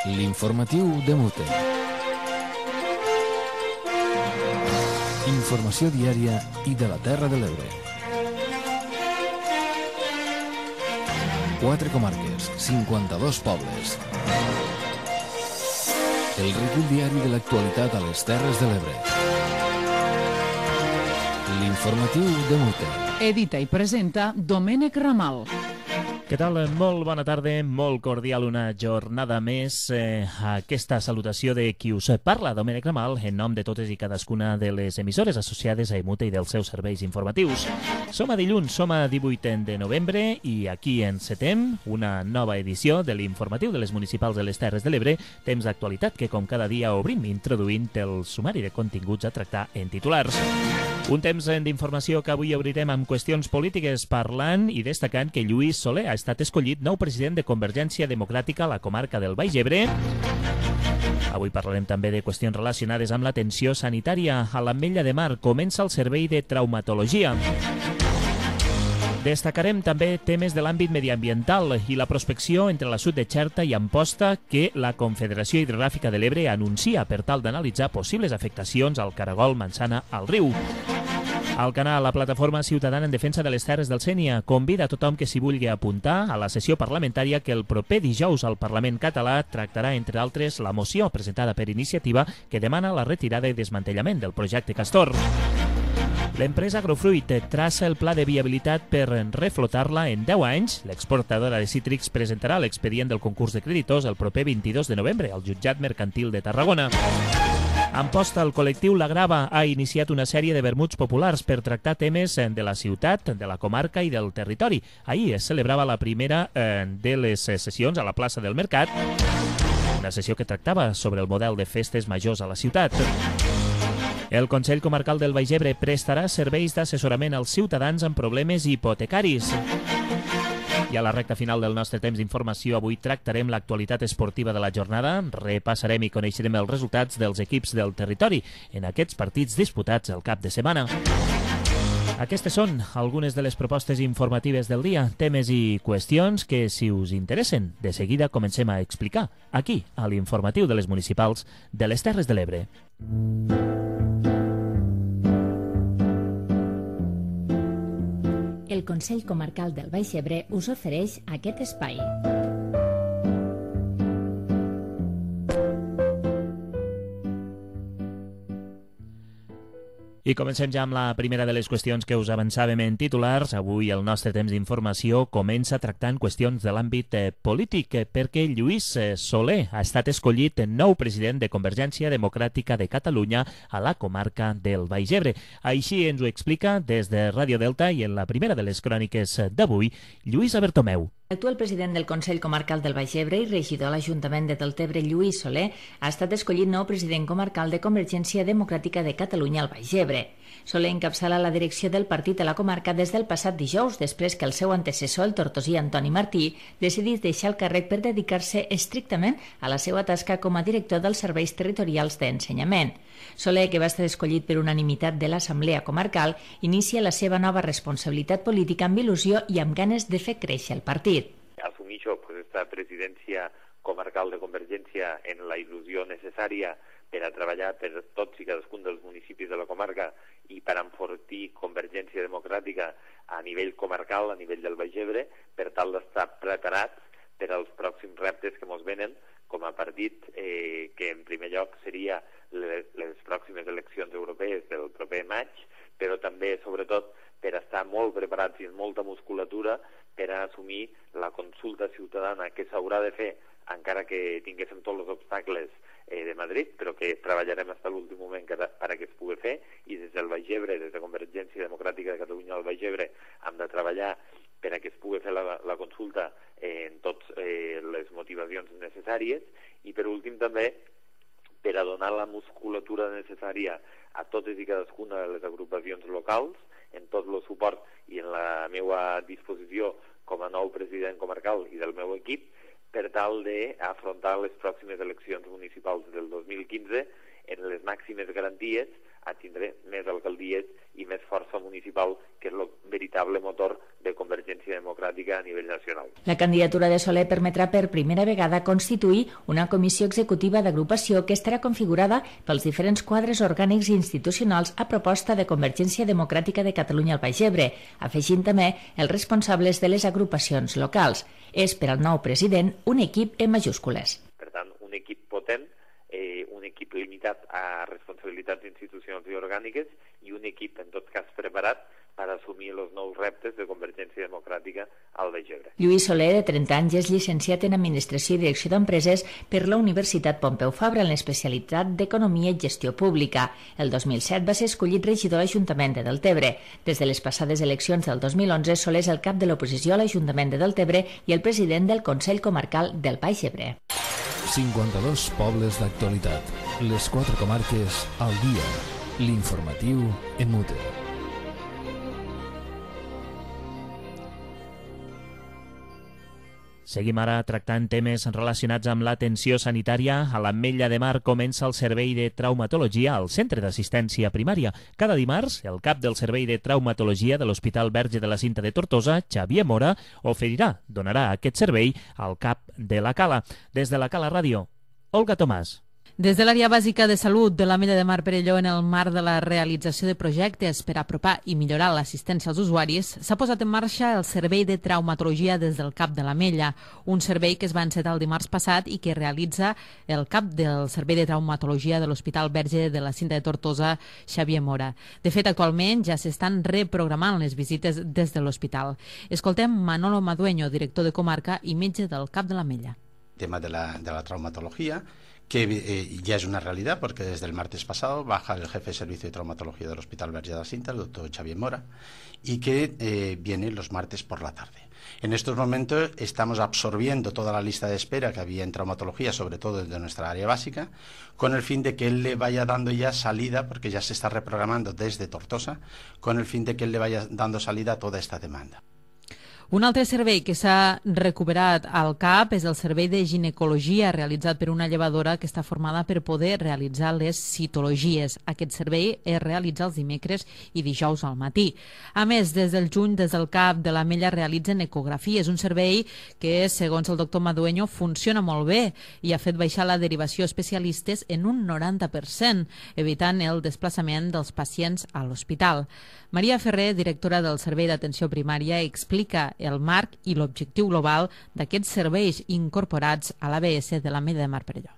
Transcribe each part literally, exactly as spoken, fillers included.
L'informatiu de Mute. Informació diària i de la Terra de l'Ebre. Quatre comarques, cinquanta-dos pobles. El recull diari de l'actualitat a les Terres de l'Ebre. L'informatiu de Mute. Edita i presenta Domènec Ramal. Què tal? Molt bona tarda, molt cordial una jornada més. Eh, aquesta salutació de qui us parla, Domènec Ramal, en nom de totes i cadascuna de les emissores associades a Emute i dels seus serveis informatius. Som a dilluns, som a divuit de novembre i aquí encetem una nova edició de l'informatiu de les municipals de les Terres de l'Ebre, temps d'actualitat que com cada dia obrim introduint el sumari de continguts a tractar en titulars. Un temps d'informació que avui obrirem amb qüestions polítiques parlant i destacant que Lluís Solé ha estat escollit nou president de Convergència Democràtica a la comarca del Baix Ebre. Avui parlarem també de qüestions relacionades amb l'atenció sanitària. A l'Ametlla de Mar comença el servei de traumatologia. Destacarem també temes de l'àmbit mediambiental i la prospecció entre la sud de Xerta i Amposta que la Confederació Hidrogràfica de l'Ebre anuncia per tal d'analitzar possibles afectacions al caragol Mansana al riu. Al canal, la plataforma ciutadana en defensa de les terres del Sénia convida a tothom que s'hi vulgui apuntar a la sessió parlamentària que el proper dijous al Parlament català tractarà, entre altres, la moció presentada per Iniciativa que demana la retirada i desmantellament del projecte Castor. L'empresa Agrofruit traça el pla de viabilitat per reflotar-la en deu anys. L'exportadora de cítrics presentarà l'expedient del concurs de creditors el proper vint-i-dos de novembre al Jutjat Mercantil de Tarragona. Amposta, el col·lectiu La Grava ha iniciat una sèrie de vermuts populars per tractar temes de la ciutat, de la comarca i del territori. Ahir es celebrava la primera eh, de les sessions a la plaça del Mercat, una sessió que tractava sobre el model de festes majors a la ciutat. El Consell Comarcal del Baix Ebre prestarà serveis d'assessorament als ciutadans amb problemes hipotecaris. I a la recta final del nostre temps d'informació avui tractarem l'actualitat esportiva de la jornada, repassarem i coneixerem els resultats dels equips del territori en aquests partits disputats el cap de setmana. Aquestes són algunes de les propostes informatives del dia, temes i qüestions que, si us interessen, de seguida comencem a explicar aquí, a l'informatiu de les municipals de les Terres de l'Ebre. El Consell Comarcal del Baix Ebre us ofereix aquest espai. I comencem ja amb la primera de les qüestions que us avançàvem en titulars. Avui el nostre temps d'informació comença tractant qüestions de l'àmbit eh, polític eh, perquè Lluís eh, Solé ha estat escollit nou president de Convergència Democràtica de Catalunya a la comarca del Baix Ebre. Així ens ho explica des de Ràdio Delta i en la primera de les cròniques d'avui, Lluís Bertomeu. L'actual president del Consell Comarcal del Baix Ebre i regidor a l'Ajuntament de Deltebre, Lluís Solé, ha estat escollit nou president comarcal de Convergència Democràtica de Catalunya al Baix Ebre. Solé encapçala la direcció del partit a la comarca des del passat dijous, després que el seu antecessor, el tortosí Antoni Martí, decidís deixar el càrrec per dedicar-se estrictament a la seva tasca com a director dels serveis territorials d'ensenyament. Solé, que va estar escollit per unanimitat de l'Assemblea Comarcal, inicia la seva nova responsabilitat política amb il·lusió i amb ganes de fer créixer el partit. Assumixo pues, esta presidència comarcal de Convergència en la il·lusió necessària per a treballar per tots i cadascun dels municipis de la comarca i per enfortir Convergència Democràtica a nivell comarcal, a nivell del Baix Ebre, per tal d'estar preparats per als pròxims reptes que ens venen com a partit, eh, que en primer lloc seria les, les pròximes eleccions europees del proper maig, però també, sobretot, per estar molt preparats i amb molta musculatura per a assumir la consulta ciutadana que s'haurà de fer, encara que tinguéssim tots els obstacles eh, de Madrid, però que treballarem fins a l'últim moment per a que es pugui fer, i des del Baix Ebre, des de Convergència Democràtica de Catalunya al Baix Ebre, hem de treballar per a que es pugui fer la, la consulta eh, en totes eh, les motivacions necessàries, i per últim també per a donar la musculatura necessària a totes i cadascuna de les agrupacions locals, en tot el suport i en la meva disposició com a nou president comarcal i del meu equip, per tal d'afrontar les pròximes eleccions municipals del dos mil quinze en les màximes garanties, a tindre més alcaldies i més força municipal, que és el veritable motor de Convergència Democràtica a nivell nacional. La candidatura de Soler permetrà per primera vegada constituir una comissió executiva d'agrupació que estarà configurada pels diferents quadres orgànics i institucionals a proposta de Convergència Democràtica de Catalunya al Baix Ebre, afegint també els responsables de les agrupacions locals. És per al nou president un equip en majúscules. Per tant, un equip potent, eh, un equip limitat a responsabilitats institucionals i orgàniques i un equip, en tot cas, preparat per assumir els nous reptes de Convergència Democràtica al Baix Ebre. Lluís Soler, de trenta anys, és llicenciat en Administració i Direcció d'Empreses per la Universitat Pompeu Fabra en l'especialitat d'Economia i Gestió Pública. El dos mil set va ser escollit regidor a l'Ajuntament de Deltebre. Des de les passades eleccions del dos mil onze, Soler és el cap de l'oposició a l'Ajuntament de Deltebre i el president del Consell Comarcal del Baix Ebre. cinquanta-dos pobles d'actualitat. Les quatre comarques al dia. L'informatiu en Mute. Seguim ara tractant temes relacionats amb l'atenció sanitària. A l'Ametlla de Mar comença el servei de traumatologia al Centre d'Assistència Primària. Cada dimarts, el cap del servei de traumatologia de l'Hospital Verge de la Cinta de Tortosa, Xavier Mora, oferirà, donarà aquest servei al cap de la Cala. Des de la Cala Ràdio, Olga Tomàs. Des de l'àrea bàsica de salut de l'Ametlla de Mar Perelló, en el marc de la realització de projectes per apropar i millorar l'assistència als usuaris, s'ha posat en marxa el servei de traumatologia des del cap de l'Ametlla, un servei que es va encetar el dimarts passat i que realitza el cap del servei de traumatologia de l'Hospital Verge de la Cinta de Tortosa, Xavier Mora. De fet, actualment ja s'estan reprogramant les visites des de l'hospital. Escoltem Manolo Madueño, director de comarca i metge del cap de l'Ametlla. El tema de la, de la traumatología, que eh, ya es una realidad porque desde el martes pasado baja el jefe de servicio de traumatología del Hospital Verge de la Cinta, el doctor Xavier Mora, y que eh, viene los martes por la tarde. En estos momentos estamos absorbiendo toda la lista de espera que había en traumatología, sobre todo de nuestra área básica, con el fin de que él le vaya dando ya salida, porque ya se está reprogramando desde Tortosa, con el fin de que él le vaya dando salida a toda esta demanda. Un altre servei que s'ha recuperat al CAP és el servei de ginecologia realitzat per una llevadora que està formada per poder realitzar les citologies. Aquest servei es realitza els dimecres i dijous al matí. A més, des del juny, des del CAP de l'Ametlla realitzen ecografies, un servei que, segons el doctor Madueño, funciona molt bé i ha fet baixar la derivació a especialistes en un noranta per cent, evitant el desplaçament dels pacients a l'hospital. Maria Ferrer, directora del Servei d'Atenció Primària, explica el marc i l'objectiu global d'aquests serveis incorporats a l'A B S de l'Ametlla de Mar Perelló.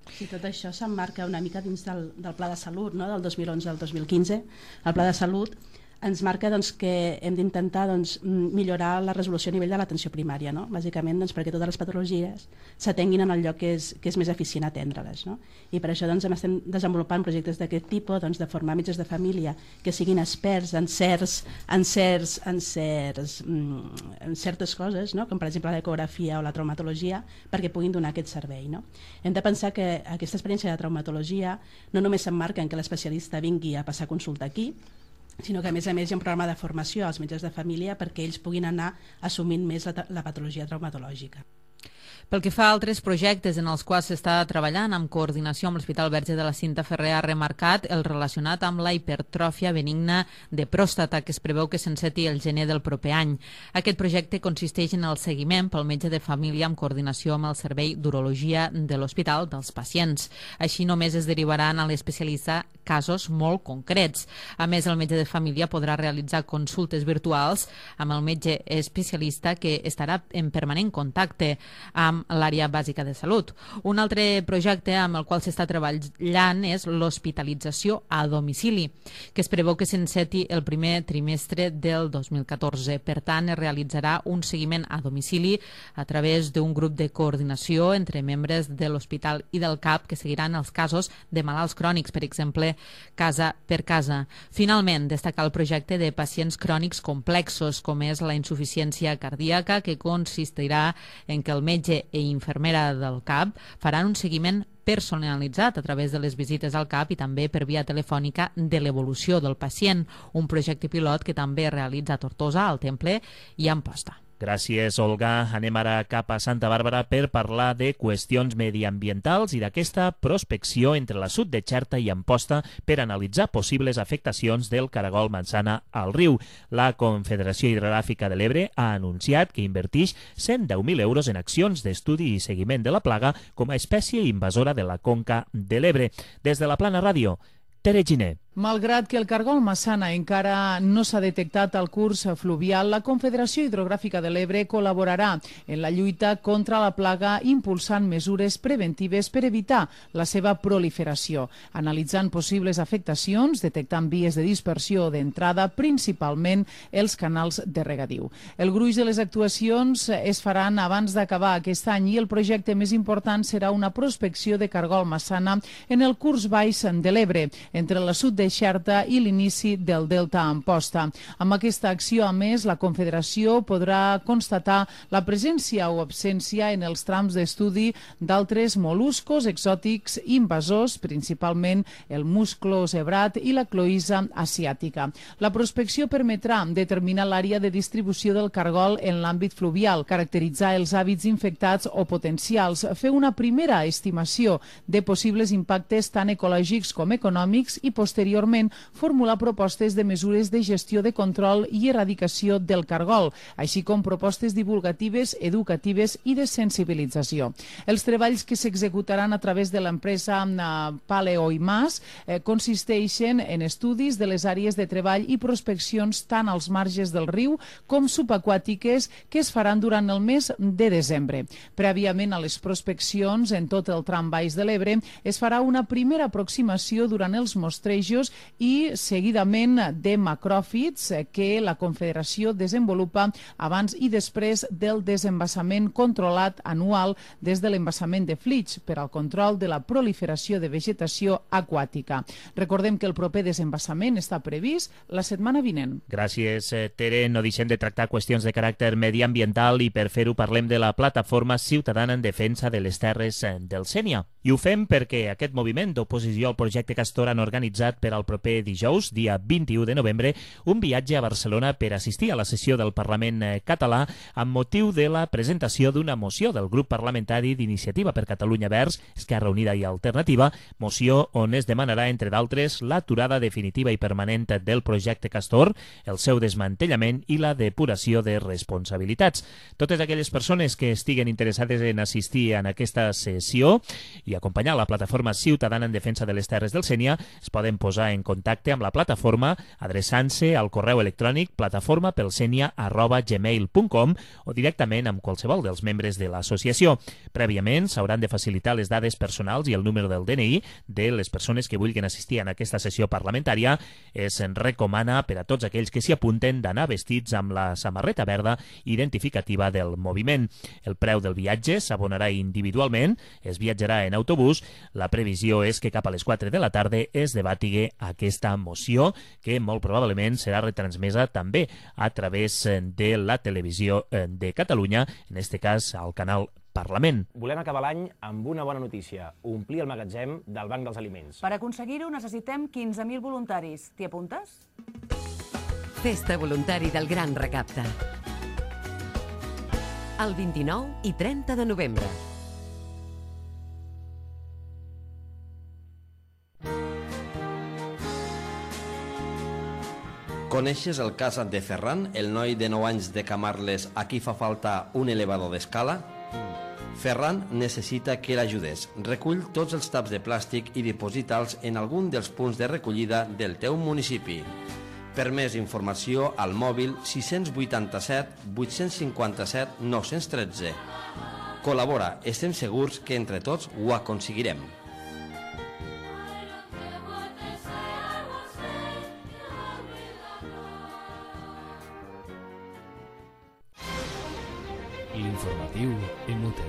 Sí, tot això s'emmarca una mica dins del, del Pla de Salut, no? Del dos mil onze al dos mil quinze. El Pla de Salut ens marca doncs, que hem d'intentar doncs, millorar la resolució a nivell de l'atenció primària, no? Bàsicament doncs, perquè totes les patologies s'atenguin en el lloc que és, que és més eficient atendre-les. No? I per això doncs, estem desenvolupant projectes d'aquest tipus, doncs, de formar metges de família que siguin experts en, certs, en, certs, en, certs, en certes coses, no? Com per exemple l'ecografia o la traumatologia, perquè puguin donar aquest servei. No? Hem de pensar que aquesta experiència de traumatologia no només s'emmarca en que l'especialista vingui a passar consulta aquí, sinó que a més a més hi ha un programa de formació als metges de família perquè ells puguin anar assumint més la, la patologia traumatològica. Pel que fa a altres projectes en els quals s'està treballant amb coordinació amb l'Hospital Verge de la Cinta, Ferrer ha remarcat el relacionat amb la hipertròfia benigna de pròstata que es preveu que s'enceti el gener del proper any. Aquest projecte consisteix en el seguiment pel metge de família amb coordinació amb el servei d'urologia de l'hospital dels pacients. Així només es derivaran a l'especialista casos molt concrets. A més, el metge de família podrà realitzar consultes virtuals amb el metge especialista que estarà en permanent contacte amb l'àrea bàsica de salut. Un altre projecte amb el qual s'està treballant és l'hospitalització a domicili, que es preveu que s'enceti el primer trimestre del dos mil catorze. Per tant, es realitzarà un seguiment a domicili a través d'un grup de coordinació entre membres de l'hospital i del CAP que seguiran els casos de malalts crònics, per exemple, casa per casa. Finalment, destacar el projecte de pacients crònics complexos, com és la insuficiència cardíaca, que consistirà en que el metge i infermera del CAP faran un seguiment personalitzat a través de les visites al CAP i també per via telefònica de l'evolució del pacient, un projecte pilot que també realitza a Tortosa, al Temple i a Amposta. Gràcies, Olga. Anem ara cap a Santa Bàrbara per parlar de qüestions mediambientals i d'aquesta prospecció entre l'assut de Xerta i Amposta per analitzar possibles afectacions del caragol manzana al riu. La Confederació Hidrogràfica de l'Ebre ha anunciat que invertix cent deu mil euros en accions d'estudi i seguiment de la plaga com a espècie invasora de la conca de l'Ebre. Des de la Plana Ràdio, Tere Giner. Malgrat que el cargol massana encara no s'ha detectat al curs fluvial, la Confederació Hidrogràfica de l'Ebre col·laborarà en la lluita contra la plaga impulsant mesures preventives per evitar la seva proliferació, analitzant possibles afectacions, detectant vies de dispersió o d'entrada, principalment els canals de regadiu. El gruix de les actuacions es faran abans d'acabar aquest any i el projecte més important serà una prospecció de cargol massana en el curs baix de l'Ebre, entre la sud de Xerta i l'inici del delta Amposta. Amb aquesta acció, a més, la Confederació podrà constatar la presència o absència en els trams d'estudi d'altres moluscos exòtics invasors, principalment el musclo zebrat i la cloïssa asiàtica. La prospecció permetrà determinar l'àrea de distribució del cargol en l'àmbit fluvial, caracteritzar els hàbits infectats o potencials, fer una primera estimació de possibles impactes tant ecològics com econòmics i posteriorment formular propostes de mesures de gestió de control i erradicació del cargol, així com propostes divulgatives, educatives i de sensibilització. Els treballs que s'executaran a través de l'empresa Paleo i Mas eh, consisteixen en estudis de les àrees de treball i prospeccions tant als marges del riu com subaquàtiques que es faran durant el mes de desembre. Prèviament a les prospeccions en tot el tram baix de l'Ebre es farà una primera aproximació durant els mostrejos i seguidament de macròfits que la Confederació desenvolupa abans i després del desembassament controlat anual des de l'embassament de Flix per al control de la proliferació de vegetació aquàtica. Recordem que el proper desembassament està previst la setmana vinent. Gràcies, Tere. No deixem de tractar qüestions de caràcter mediambiental i per fer-ho parlem de la plataforma ciutadana en defensa de les terres del Sénia. I ho fem perquè aquest moviment d'oposició al projecte Castor han organitzat per al proper dijous, dia vint-i-u de novembre, un viatge a Barcelona per assistir a la sessió del Parlament català amb motiu de la presentació d'una moció del grup parlamentari d'Iniciativa per Catalunya Verds, Esquerra Unida i Alternativa, moció on es demanarà, entre d'altres, l'aturada definitiva i permanent del projecte Castor, el seu desmantellament i la depuració de responsabilitats. Totes aquelles persones que estiguen interessades en assistir en aquesta sessió i acompanyar la plataforma ciutadana en defensa de les terres del Sénia es poden posar en contacte amb la plataforma adreçant-se al correu electrònic plataformapelsenia arroba gmail punt com o directament amb qualsevol dels membres de l'associació. Prèviament s'hauran de facilitar les dades personals i el número del D N I de les persones que vulguin assistir en aquesta sessió parlamentària. Es recomana per a tots aquells que s'hi apunten d'anar vestits amb la samarreta verda identificativa del moviment. El preu del viatge s'abonarà individualment, es viatjarà en autobús. La previsió és que cap a les quatre de la tarda es debati aquesta moció, que molt probablement serà retransmesa també a través de la televisió de Catalunya, en aquest cas al canal Parlament. Volem acabar l'any amb una bona notícia, omplir el magatzem del Banc dels Aliments. Per aconseguir-ho necessitem quinze mil voluntaris. T'hi apuntes? Festa voluntari del Gran Recapte. El vint-i-nou i trenta de novembre. Coneixes el cas de Ferran, el noi de nou anys de Camarles a qui fa falta un elevador d'escala? Ferran necessita que l'ajudes. Recull tots els taps de plàstic i diposita'ls en algun dels punts de recollida del teu municipi. Per més informació, al mòbil sis vuitanta-set vuit cinquanta-set nou tretze. Col·labora, estem segurs que entre tots ho aconseguirem. L'informatiu Emute.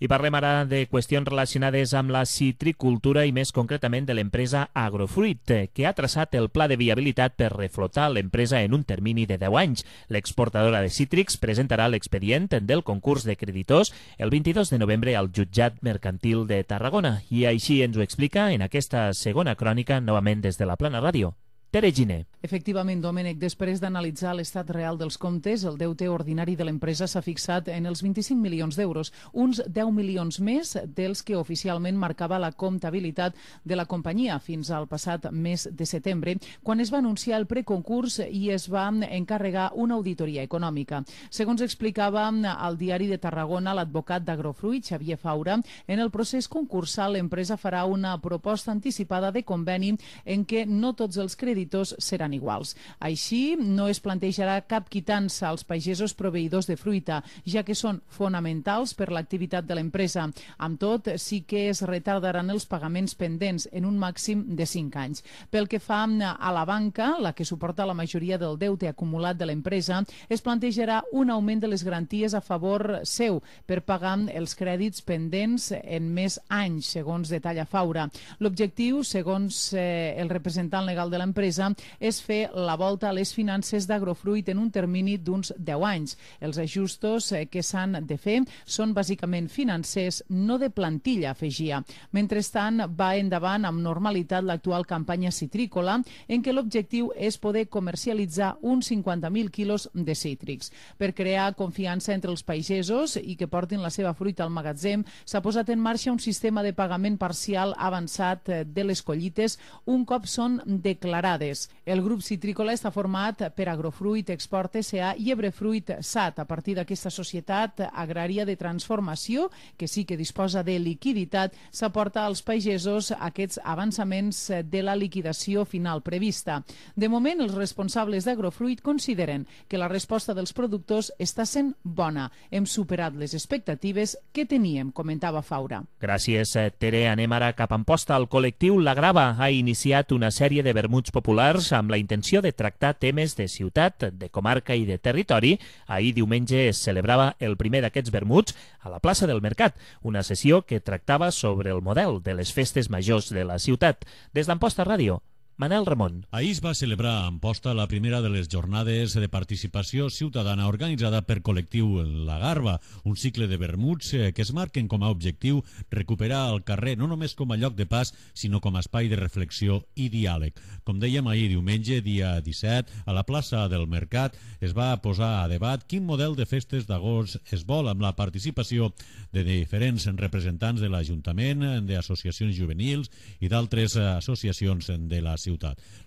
I parlem ara de qüestions relacionades amb la citricultura i més concretament de l'empresa Agrofruit, que ha traçat el pla de viabilitat per reflotar l'empresa en un termini de deu anys. L'exportadora de cítrics presentarà l'expedient del concurs de creditors el vint-i-dos de novembre al Jutjat Mercantil de Tarragona. I així ens ho explica en aquesta segona crònica, novament des de la Plana Ràdio, Tere Giner. Efectivament, Domènec, després d'analitzar l'estat real dels comptes, el deute ordinari de l'empresa s'ha fixat en els vint-i-cinc milions d'euros, uns deu milions més dels que oficialment marcava la comptabilitat de la companyia fins al passat mes de setembre, quan es va anunciar el preconcurs i es va encarregar una auditoria econòmica. Segons explicava al Diari de Tarragona l'advocat d'Agrofruit, Xavier Faura, en el procés concursal l'empresa farà una proposta anticipada de conveni en què no tots els creditors seran iguals. Així, no es plantejarà cap quitança als pagesos proveïdors de fruita, ja que són fonamentals per l'activitat de l'empresa. Amb tot, sí que es retardaran els pagaments pendents en un màxim de cinc anys. Pel que fa a la banca, la que suporta la majoria del deute acumulat de l'empresa, es plantejarà un augment de les garanties a favor seu per pagar els crèdits pendents en més anys, segons detalla Faura. L'objectiu, segons eh, el representant legal de l'empresa, és fer la volta a les finances d'Agrofruit en un termini d'uns deu anys. Els ajustos que s'han de fer són bàsicament financers, no de plantilla, afegia. Mentrestant, va endavant amb normalitat l'actual campanya citrícola, en què l'objectiu és poder comercialitzar uns cinquanta mil quilos de cítrics. Per crear confiança entre els pagesos i que portin la seva fruita al magatzem, s'ha posat en marxa un sistema de pagament parcial avançat de les collites un cop són declarades. El grup citrícola està format per Agrofruit, Export S A i Ebrefruit S A T. A partir d'aquesta societat agrària de transformació, que sí que disposa de liquiditat, s'aporta als pagesos aquests avançaments de la liquidació final prevista. De moment, els responsables d'Agrofruit consideren que la resposta dels productors està sent bona. Hem superat les expectatives que teníem, comentava Faura. Gràcies, Tere. Anem ara cap a Amposta. El col·lectiu La Grava ha iniciat una sèrie de vermuts populars amb la intenció de tractar temes de ciutat, de comarca i de territori. Ahir diumenge es celebrava el primer d'aquests vermuts a la plaça del Mercat, una sessió que tractava sobre el model de les festes majors de la ciutat. Des d'Amposta Ràdio, Manel Ramon. Ahir es va celebrar a Amposta la primera de les jornades de participació ciutadana organitzada per col·lectiu La Garba, un cicle de vermuts que es marquen com a objectiu recuperar el carrer no només com a lloc de pas, sinó com a espai de reflexió i diàleg. Com dèiem ahir diumenge, dia disset, a la plaça del Mercat es va posar a debat quin model de festes d'agost es vol amb la participació de diferents representants de l'Ajuntament, d'associacions juvenils i d'altres associacions de la ciutat.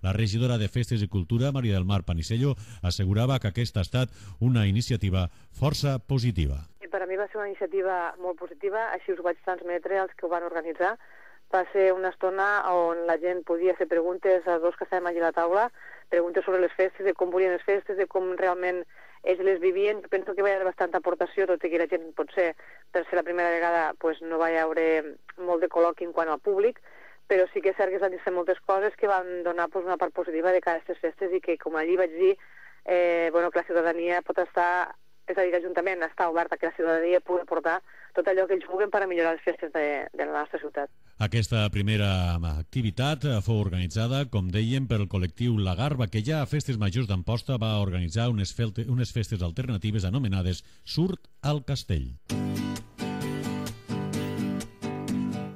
La regidora de Festes i Cultura, Maria del Mar Panisello, assegurava que aquesta ha estat una iniciativa força positiva. Per a mi va ser una iniciativa molt positiva, així us ho vaig transmetre als que ho van organitzar. Va ser una estona on la gent podia fer preguntes a dos que estàvem allà a la taula, preguntes sobre les festes, de com volien les festes, de com realment ells les vivien. Penso que va haver bastanta aportació, tot i que la gent potser per ser la primera vegada pues, no va haver molt de col·loqui en quant al públic, però sí que és cert que es van dir moltes coses que van donar pues, una part positiva de cada aquestes festes i que, com allí vaig dir, eh, bueno, que la ciutadania pot estar, és a dir, l'Ajuntament està obert a que la ciutadania pugui aportar tot allò que ells vulguin per a millorar les festes de, de la nostra ciutat. Aquesta primera activitat fou organitzada, com dèiem, pel col·lectiu La Garba, que ja a Festes Majors d'Amposta va organitzar unes, unes festes alternatives anomenades Surt al Castell.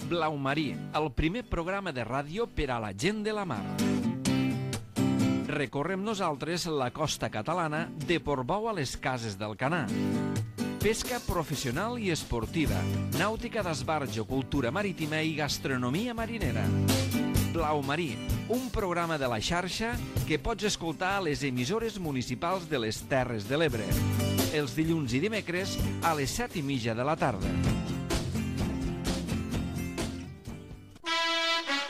Blau Marí, el primer programa de ràdio per a la gent de la mar. Recorrem nosaltres la costa catalana de Portbou a les Cases del Canà. Pesca professional i esportiva, nàutica d'esbarjo, cultura marítima i gastronomia marinera. Blau Marí, un programa de la xarxa que pots escoltar a les emissores municipals de les Terres de l'Ebre. Els dilluns i dimecres a les set i mitja de la tarda.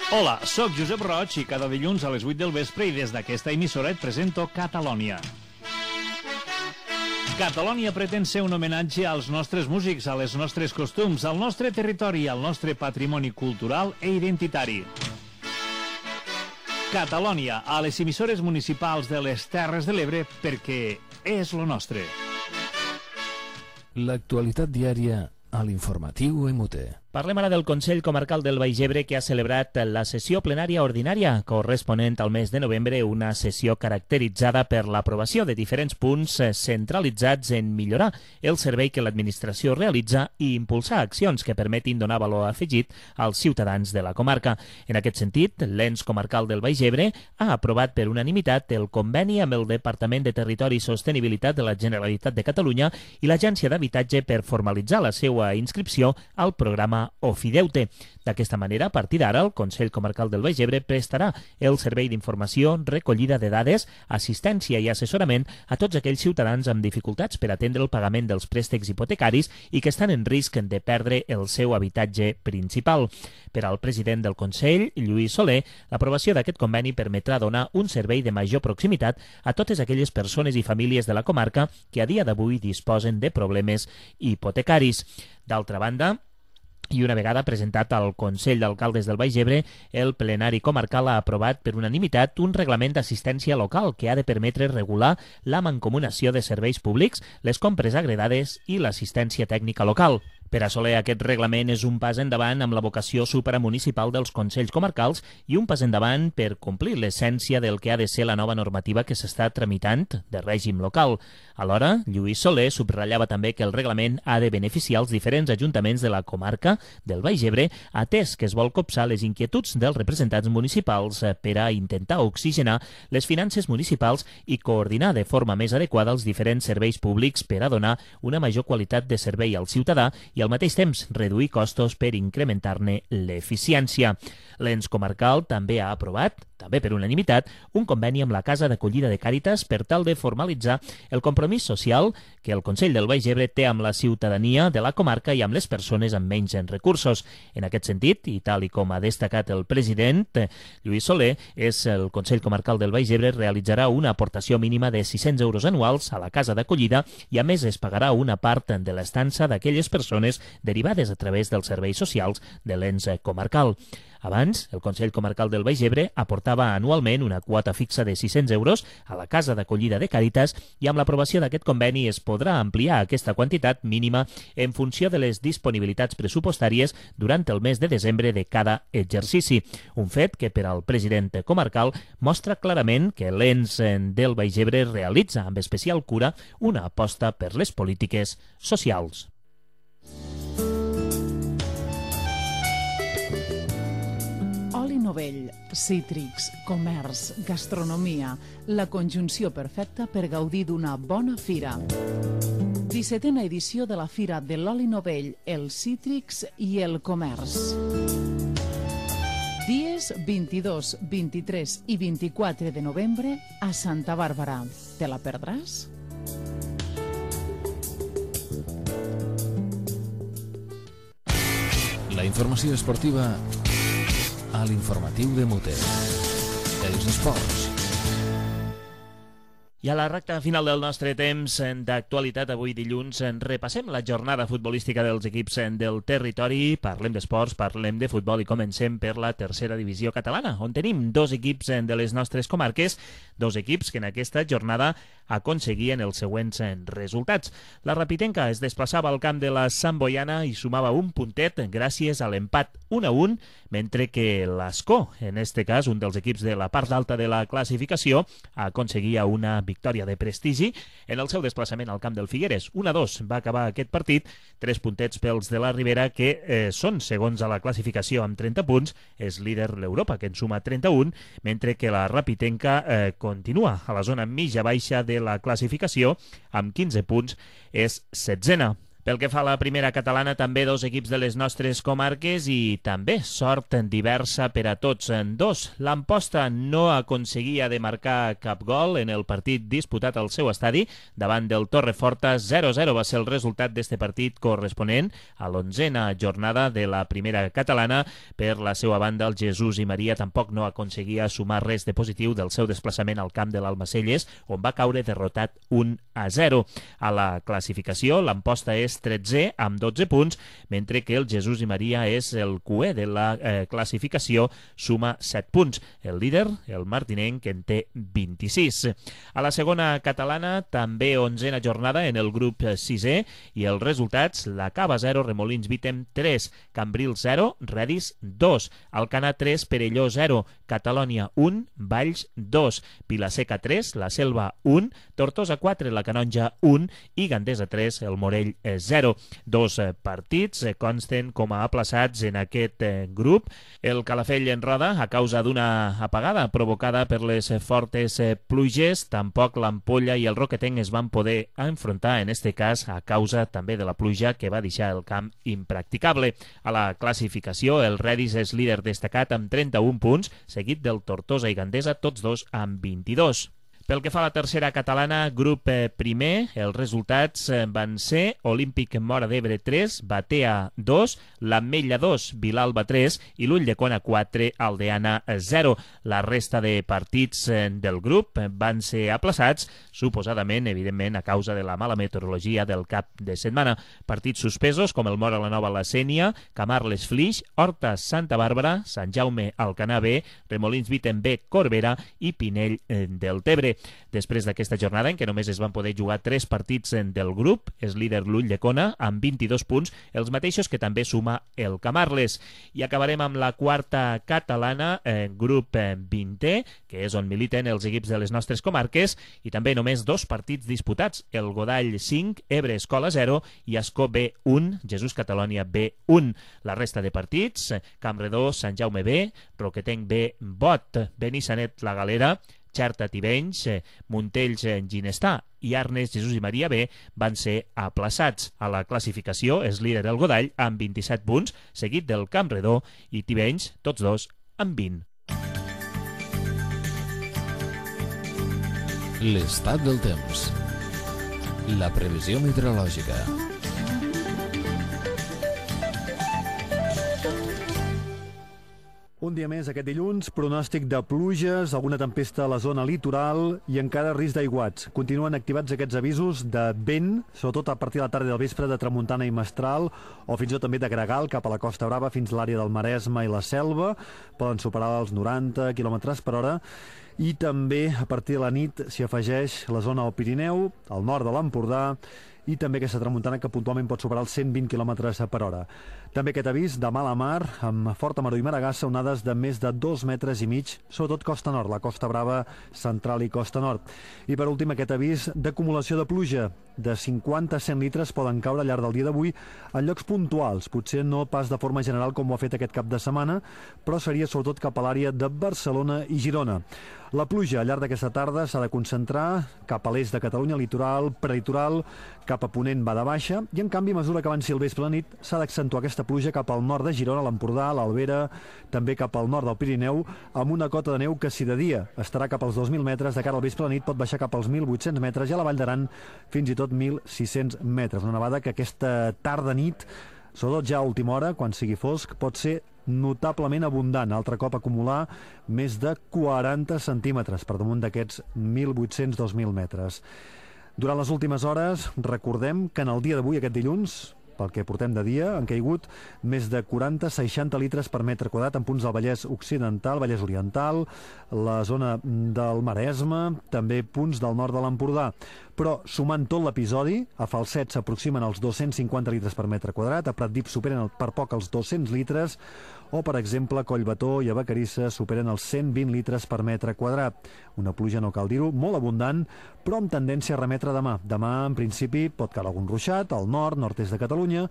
Hola, sóc Josep Roig i cada dilluns a les vuit del vespre i des d'aquesta emissora et presento Catalònia. Catalònia pretén ser un homenatge als nostres músics, a les nostres costums, al nostre territori, al nostre patrimoni cultural e identitari. Catalònia, a les emissores municipals de les Terres de l'Ebre, perquè és lo nostre. L'actualitat diària a l'informatiu M U T E. Parlem ara del Consell Comarcal del Baix Ebre, que ha celebrat la sessió plenària ordinària corresponent al mes de novembre, una sessió caracteritzada per l'aprovació de diferents punts centralitzats en millorar el servei que l'administració realitza i impulsar accions que permetin donar valor afegit als ciutadans de la comarca. En aquest sentit, l'Ens Comarcal del Baix Ebre ha aprovat per unanimitat el conveni amb el Departament de Territori i Sostenibilitat de la Generalitat de Catalunya i l'Agència d'Habitatge per formalitzar la seva inscripció al programa Ofideute. D'aquesta manera, a partir d'ara, el Consell Comarcal del Baix Ebre prestarà el servei d'informació, recollida de dades, assistència i assessorament a tots aquells ciutadans amb dificultats per atendre el pagament dels préstecs hipotecaris i que estan en risc de perdre el seu habitatge principal. Per al president del Consell, Lluís Soler, l'aprovació d'aquest conveni permetrà donar un servei de major proximitat a totes aquelles persones i famílies de la comarca que a dia d'avui disposen de problemes hipotecaris. D'altra banda, i una vegada presentat al Consell d'Alcaldes del Baix Ebre, el plenari comarcal ha aprovat per unanimitat un reglament d'assistència local que ha de permetre regular la mancomunació de serveis públics, les compres agredades i l'assistència tècnica local. Per assolir aquest reglament és un pas endavant amb la vocació supramunicipal dels Consells Comarcals i un pas endavant per complir l'essència del que ha de ser la nova normativa que s'està tramitant de règim local. Alhora, Lluís Soler subratllava també que el reglament ha de beneficiar els diferents ajuntaments de la comarca del Baix Ebre, atès que es vol copsar les inquietuds dels representants municipals per a intentar oxigenar les finances municipals i coordinar de forma més adequada els diferents serveis públics per a donar una major qualitat de servei al ciutadà i al mateix temps reduir costos per incrementar-ne l'eficiència. L'Ens Comarcal també ha aprovat, també per unanimitat, un conveni amb la Casa d'Acollida de Càritas per tal de formalitzar el compromís social que el Consell del Baix Ebre té amb la ciutadania de la comarca i amb les persones amb menys recursos. En aquest sentit, i tal i com ha destacat el president Lluís Soler, és el Consell Comarcal del Baix Ebre realitzarà una aportació mínima de sis-cents euros anuals a la Casa d'Acollida i a més es pagarà una part de l'estança d'aquelles persones derivades a través dels serveis socials de l'Ens Comarcal. Abans, el Consell Comarcal del Baix Ebre aportava anualment una quota fixa de sis-cents euros a la Casa d'Acollida de Càritas i amb l'aprovació d'aquest conveni es podrà ampliar aquesta quantitat mínima en funció de les disponibilitats pressupostàries durant el mes de desembre de cada exercici. Un fet que per al president comarcal mostra clarament que l'Ens del Baix Ebre realitza amb especial cura una aposta per les polítiques socials. Oli novell, cítrics, comerç, gastronomia, la conjunció perfecta per gaudir d'una bona fira. dissetena edició de la Fira de l'Oli Novell, els cítrics i el comerç. Dies vint-i-dos, vint-i-tres i vint-i-quatre de novembre a Santa Bàrbara. Te la perdràs? La informació esportiva a l'informatiu de Mute. Els esports. I a la recta final del nostre temps d'actualitat, avui dilluns, repassem la jornada futbolística dels equips del territori, parlem d'esports, parlem de futbol i comencem per la tercera divisió catalana, on tenim dos equips de les nostres comarques, dos equips que en aquesta jornada aconseguien els següents resultats. La Rapitenca es desplaçava al camp de la Sant Boiana i sumava un puntet gràcies a l'empat un a un, mentre que l'Ascó, en este cas un dels equips de la part alta de la classificació, aconseguia una victòria de prestigi en el seu desplaçament al camp del Figueres. un a dos va acabar aquest partit, tres puntets pels de la Ribera, que eh, són segons a la classificació amb trenta punts, és líder l'Europa, que en suma trenta-un, mentre que la Rapitenca eh, continua a la zona mitja-baixa de la classificació amb quinze punts, és setzena. Pel que fa a la primera catalana, també dos equips de les nostres comarques i també sort diversa per a tots dos. L'Amposta no aconseguia de marcar cap gol en el partit disputat al seu estadi davant del Torreforta. zero a zero va ser el resultat d'este partit corresponent a l'onzena jornada de la primera catalana. Per la seva banda, el Jesús i Maria tampoc no aconseguia sumar res de positiu del seu desplaçament al camp de l'Almacelles, on va caure derrotat un a zero. A la classificació, l'Amposta és és tretzè amb dotze punts, mentre que el Jesús i Maria és el cué de la eh, classificació, suma set punts. El líder, el martinenc, en té vint-i-sis. A la segona catalana, també onzena jornada en el grup sisè, i els resultats: la Cava zero, Remolins Vítem tres, Cambrils zero, Redis dos, Alcanar tres, Perelló zero, Catalònia un, Valls dos, Vilaseca tres, La Selva un, Tortosa quatre, La Canonja un i Gandesa tres, el Morell zero. Dos eh, partits eh, consten com a aplaçats en aquest eh, grup. El Calafell en roda a causa d'una apagada provocada per les eh, fortes eh, pluges. Tampoc l'Ampolla i el Roquetenc es van poder enfrontar, en este cas a causa també de la pluja que va deixar el camp impracticable. A la classificació, el Redis és líder destacat amb trenta-un punts, seguit del Tortosa i Gandesa, tots dos amb vint-i-dos. Pel que fa a la tercera catalana, grup eh, primer, els resultats eh, van ser Olímpic Móra d'Ebre tres, Batea dos, l'Ametlla dos, Vilalba tres i l'Ulldecona quatre, Aldeana zero. La resta de partits eh, del grup eh, van ser aplaçats, suposadament, evidentment, a causa de la mala meteorologia del cap de setmana. Partits suspesos com el Móra la Nova, la Sénia, Camarles Flix, Horta Santa Bàrbara, Sant Jaume Alcanar B, Remolins Vítem B, Corbera i Pinell eh, del Tebre. Després d'aquesta jornada, en què només es van poder jugar tres partits del grup, és líder l'Ulldecona amb vint-i-dos punts, els mateixos que també suma el Camarles. I acabarem amb la quarta catalana, eh, grup eh, vintè, que és on militen els equips de les nostres comarques, i també només dos partits disputats, el Godall cinc, Ebre Escola zero i Ascó B un, Jesús Catalònia B un. La resta de partits, Campredó, Sant Jaume B, Roquetenc B, Bot, Benissanet La Galera, Xerta Tivenys, Montells Ginestà i Arnes Jesús i Maria B van ser aplaçats. A la classificació és líder el Godall amb vint-i-set punts, seguit del Campredó i Tivenys, tots dos amb vint. L'estat del temps. La previsió meteorològica. Un dia més, aquest dilluns, pronòstic de pluges, alguna tempesta a la zona litoral i encara risc d'aiguats. Continuen activats aquests avisos de vent, sobretot a partir de la tarda i del vespre, de tramuntana i mestral, o fins i tot també de gregal cap a la Costa Brava fins a l'àrea del Maresme i la Selva. Poden superar els noranta quilòmetres per hora. I també, a partir de la nit, s'hi afegeix la zona del Pirineu, al nord de l'Empordà, i també aquesta tramuntana que puntualment pot superar els cent vint quilòmetres per hora. També aquest avís de mala mar, amb forta maró i maragassa, onades de més de dos metres i mig, sobretot costa nord, la Costa Brava, central i costa nord. I per últim aquest avís d'acumulació de pluja, de cinquanta a cent litres poden caure al llarg del dia d'avui en llocs puntuals, potser no pas de forma general com ho ha fet aquest cap de setmana, però seria sobretot cap a l'àrea de Barcelona i Girona. La pluja al llarg d'aquesta tarda s'ha de concentrar cap a l'est de Catalunya, litoral, prelitoral, cap a ponent va de baixa, i en canvi, a mesura que avanci el vespre a la nit, s'ha d'accentuar aquesta pluja cap al nord de Girona, l'Empordà, l'Albera, també cap al nord del Pirineu, amb una cota de neu que si de dia estarà cap als dos mil metres, de cara al vespre a la nit pot baixar cap als mil vuit-cents metres i a la Vall d'Aran fins i tot mil sis-cents metres. Una nevada que aquesta tarda-nit, sobretot ja a última hora, quan sigui fosc, pot ser notablement abundant. Altre cop acumular més de quaranta centímetres per damunt d'aquests mil vuit-cents a dos mil metres. Durant les últimes hores, recordem que en el dia d'avui, aquest dilluns, pel que portem de dia, han caigut més de quaranta a seixanta litres per metre quadrat en punts del Vallès Occidental, Vallès Oriental, la zona del Maresme, també punts del nord de l'Empordà. Però, sumant tot l'episodi, a Falset s'aproximen als dos-cents cinquanta litres per metre quadrat, a Pratdip superen per poc els dos-cents litres, o, per exemple, a Collbató i a Vacarissa superen els cent vint litres per metre quadrat. Una pluja, no cal dir-ho, molt abundant, però amb tendència a remetre demà. Demà, en principi, pot caure algun ruixat al nord, nord-est de Catalunya.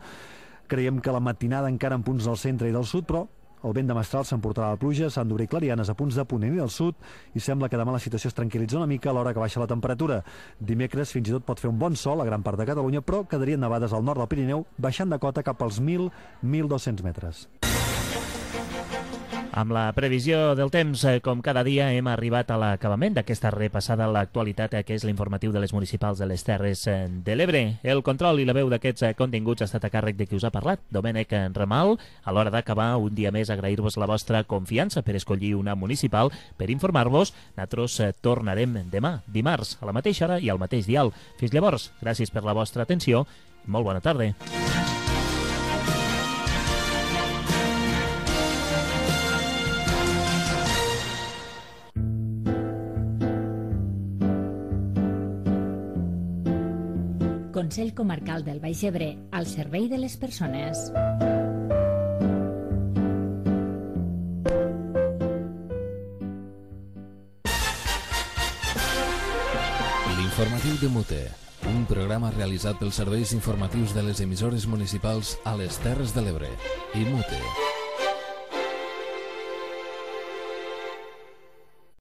Creiem que la matinada encara en punts del centre i del sud, però el vent de mestral s'emportarà la pluja, s'han d'obrir clarianes a punts de ponent i del sud, i sembla que demà la situació es tranquil·litza una mica a l'hora que baixa la temperatura. Dimecres fins i tot pot fer un bon sol a gran part de Catalunya, però quedarien nevades al nord del Pirineu, baixant de cota cap als mil a mil dos-cents metres. Amb la previsió del temps, com cada dia, hem arribat a l'acabament d'aquesta repassada a l'actualitat, que és l'informatiu de les municipals de les Terres de l'Ebre. El control i la veu d'aquests continguts ha estat a càrrec de qui us ha parlat, Domènec Ramal. A l'hora d'acabar, un dia més, agrair-vos la vostra confiança per escollir una municipal, per informar-vos. Nosaltres tornarem demà, dimarts, a la mateixa hora i al mateix dial. Fins llavors, gràcies per la vostra atenció Molt bona tarda. Consell Comarcal del Baix Ebre, al servei de les persones. L'informatiu de Mute, un programa realitzat pels serveis informatius de les emissores municipals a les Terres de l'Ebre i Mute.